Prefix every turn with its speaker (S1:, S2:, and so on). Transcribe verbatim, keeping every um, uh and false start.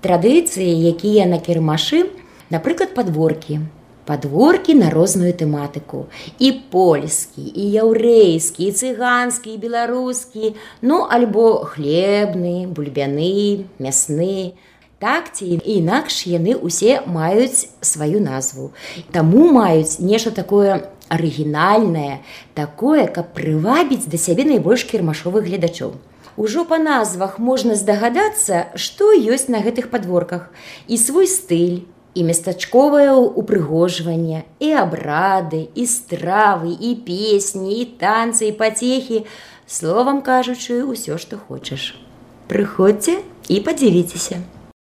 S1: Традыцыі, якія на кірмашы, напрыклад, падворкі. Падворкі на розную тэматыку. І польскі, і яўрэйскі, і цыганскі, і беларускі, ну, альбо хлебны, бульбяны, мясны. Так ці інакш яны ўсе маюць сваю назву. Таму маюць нешта такое арыгінальнае, такое, каб прывабіць да сябе найбольш кірмашовых гледачоў. Ужо па назвах можна здагадацца, што ёсць на гэтых падворках. І свой стыль, і местачковае упрыгожванне, і абрады, і стравы, і песні, і танцы, і пацехі. Словам кажучы, усё, што хочаш. Прыходзьце і падзівіцеся.